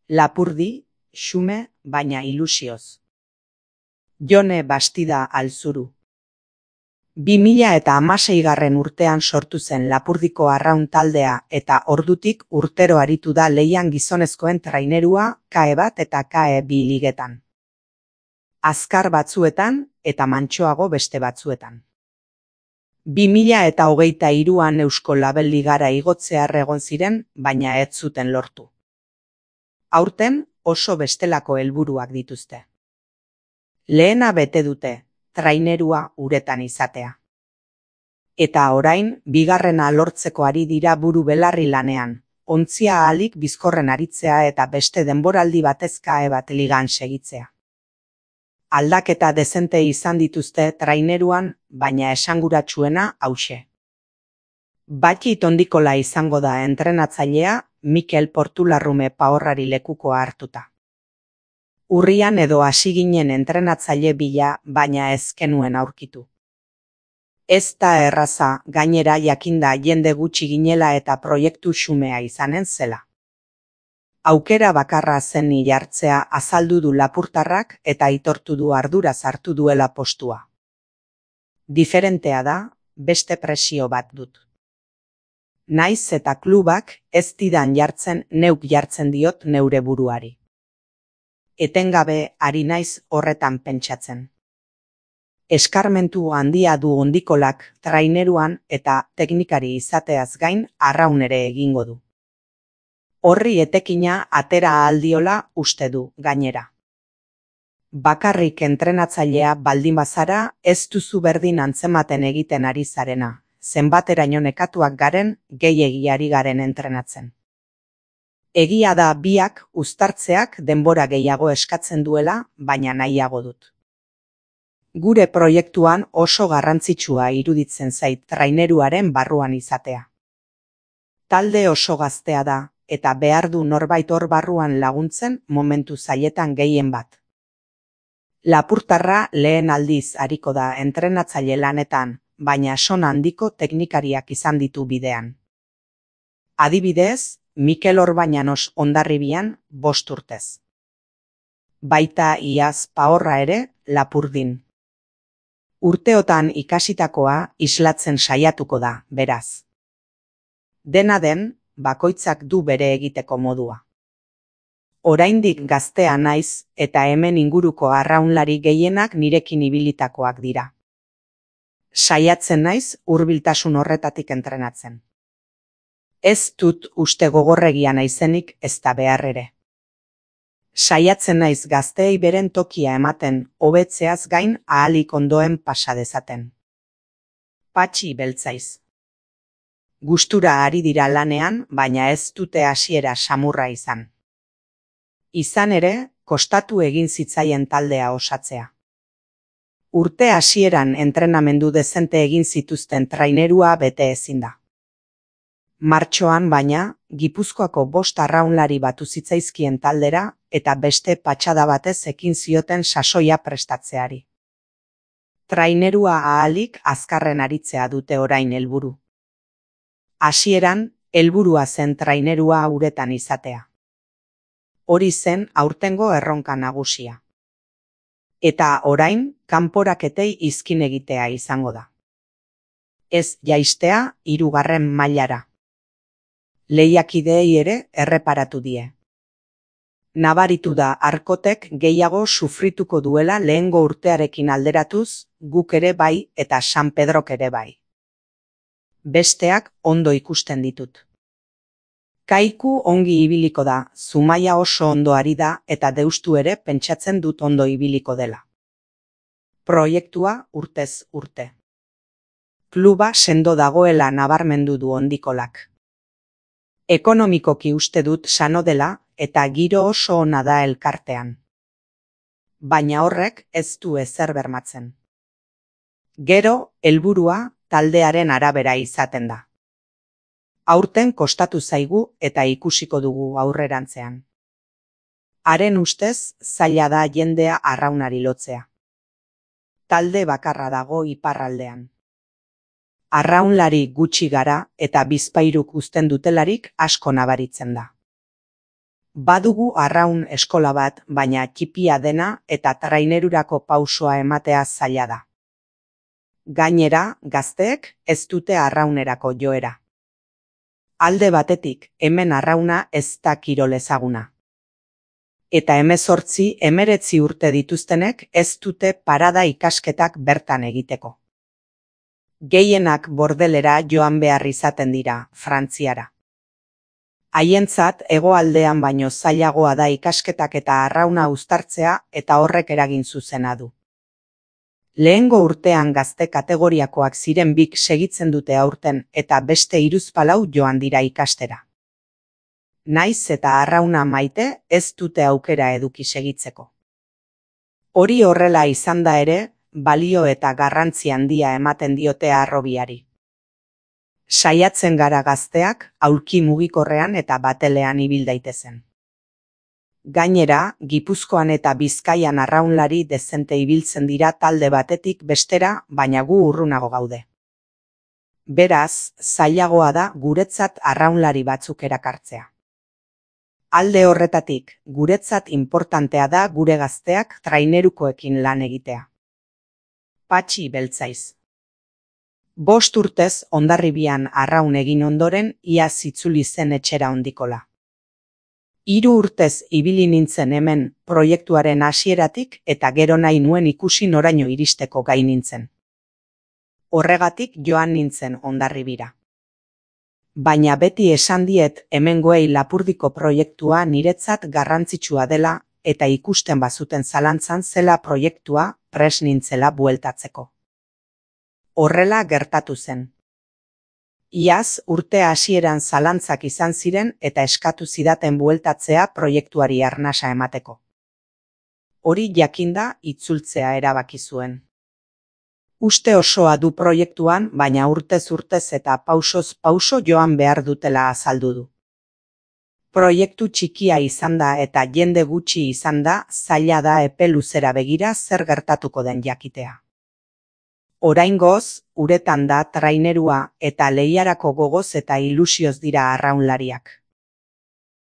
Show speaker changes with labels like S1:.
S1: Lapurdi, xume, baina ilusioz. Jone Bastida Alzuru. 2016 urtean sortu zen Lapurdiko arraun taldea eta ordutik urtero aritu da lehian gizonezkoen trainerua KE bat eta KE bi ligetan. Azkar batzuetan eta mantsoago beste batzuetan. 2023an Eusko Label Ligara igotzear egon ziren, baina ez zuten lortu. Aurten oso bestelako helburuak dituzte. Lehena bete dute, trainerua uretan izatea. Eta orain, bigarrena lortzeko ari dira buru belarri lanean, ontzia ahalik bizkorren aritzea eta beste denboraldi batez KE bat ligan segitzea. Aldaketa dezente izan dituzte traineruan, baina esanguratsuena hauxe. Batxi Tondikola izango da entrenatzailea, Mikel Portularrume Paorrari lekukoa hartuta. Urrian edo hasi ginen entrenatzaile bila, baina ez genuen aurkitu. Ez da erraza, gainera jakinda jende gutxi ginela eta proiektu xumea izanen zela. Aukera bakarra zen jartzea azaldu du lapurtarrak eta aitortu du arduraz hartu duela postua. Diferentea da, beste presio bat dut. Naiz eta klubak ez didan jartzen neuk jartzen diot neure buruari. Etengabe ari naiz horretan pentsatzen. Eskarmentu handia du Ondikolak traineruan eta teknikari izateaz gain arraun ere egingo du. Horri etekina atera aldiola uste du gainera. Bakarrik entrenatzailea baldin bazara ez duzu berdin antzematen egiten ari zarena, zenbateraino nekatuak garen gehiegi garen entrenatzen. Egia da biak uztartzeak denbora gehiago eskatzen duela, baina nahiago dut. Gure proiektuan oso garrantzitsua iruditzen zait traineruaren barruan izatea. Talde oso gaztea da, eta behar du norbait hor barruan laguntzen momentu zailetan gehien bat. Lapurtarra lehen aldiz ariko da entrenatzaile lanetan, baina sona handiko teknikariak izan ditu bidean. Adibidez, Mikel Orbañanos Hondarribian 5 urtez. Baita iaz Paorra ere Lapurdin. Urteotan ikasitakoa islatzen saiatuko da, beraz. Dena den, bakoitzak du bere egiteko modua. Oraindik gaztea naiz eta hemen inguruko arraunlari gehienak nirekin ibilitakoak dira. Saiatzen naiz hurbiltasun horretatik entrenatzen. Ez dut uste gogorregia naizenik ez da behar ere. Saiatzen naiz gazteei beren tokia ematen, hobetzeaz gain ahalik ondoen pasa dezaten. Patxi beltzaiz. Gustura ari dira lanean, baina ez dute hasiera samurra izan. Izan ere, kostatu egin zitzaien taldea osatzea. Urte hasieran entrenamendu dezente egin zituzten trainerua bete ezin da. Martxoan baina, Gipuzkoako 5 arraunlari batu zitzaizkien taldera eta beste patxada batez ekin zioten sasoia prestatzeari. Trainerua ahalik azkarren aritzea dute orain helburu. Hasieran, helburua zen trainerua uretan izatea. Hori zen aurtengo erronka nagusia. Eta orain, kanporaketei izkin egitea izango da. Ez jaistea 3. mailara. Lehiakideei ere erreparatu die. Nabaritu da Arkotek gehiago sufrituko duela lehengo urtearekin alderatuz, guk ere bai eta San Pedrok ere bai. Besteak ondo ikusten ditut. Kaiku ongi ibiliko da, Zumaia oso ondo ari da eta Deustu ere pentsatzen dut ondo ibiliko dela. Proiektua urtez urte. Kluba sendo dagoela nabarmendu du Ondikolak. Ekonomikoki uste dut sano dela eta giro oso ona da elkartean. Baina horrek ez du ezer bermatzen. Gero, helburua taldearen arabera izaten da. Aurten kostatu zaigu eta ikusiko dugu aurrerantzean. Haren ustez, zaila da jendea arraunari lotzea. Talde bakarra dago iparraldean. Arraunlari gutxi gara eta bizpairuk uzten dutelarik asko nabaritzen da. Badugu arraun eskola bat, baina txipia dena eta trainerurako pausoa ematea zaila da. Gainera, gazteek ez dute arraunerako joera. Alde batetik, hemen arrauna ez da kirol ezaguna. Eta 18-19 urte dituztenek ez dute parada ikasketak bertan egiteko. Gehienak bordelera joan behar izaten dira, Frantziara. Haientzat hegoaldean baino zailagoa da ikasketak eta arrauna uztartzea eta horrek eragin zuzena du. Lehengo urtean gazte kategoriakoak ziren bik segitzen dute aurten eta beste hiruzpalau joan dira ikastera. Naiz eta arrauna maite ez dute aukera eduki segitzeko. Hori horrela izan da ere, balio eta garrantzi handia ematen diote harrobiari. Saiatzen gara gazteak aulki mugikorrean eta batelean ibil daitezen. Gainera, Gipuzkoan eta Bizkaian arraunlari dezente ibiltzen dira talde batetik bestera, baina gu urrunago gaude. Beraz, zailagoa da guretzat arraunlari batzuk erakartzea. Alde horretatik, guretzat inportantea da gure gazteak trainerukoekin lan egitea. Patxi Beltzaiz. 5 urtez Hondarribian arraun egin ondoren iaz itzuli zen etxera ondikola. 3 urtez ibili nintzen hemen proiektuaren hasieratik eta gero nahi nuen ikusi noraino iristeko gai nintzen. Horregatik joan nintzen Hondarribira. Baina beti esan diet hemengoei Lapurdiko proiektua niretzat garrantzitsua dela eta ikusten bazuten zalantzan zela proiektua prest nintzela bueltatzeko. Horrela gertatu zen. Iaz urte hasieran zalantzak izan ziren eta eskatu zidaten bueltatzea proiektuari arnasa emateko. Hori jakinda itzultzea erabaki zuen. Uste osoa du proiektuan, baina urtez eta pausoz pauso joan behar dutela azaldu du. Proiektu txikia izan da eta jende gutxi izan da, zaila da epe luzera begira zer gertatuko den jakitea. Oraingoz, uretan da trainerua eta lehiarako gogoz eta ilusioz dira arraunlariak.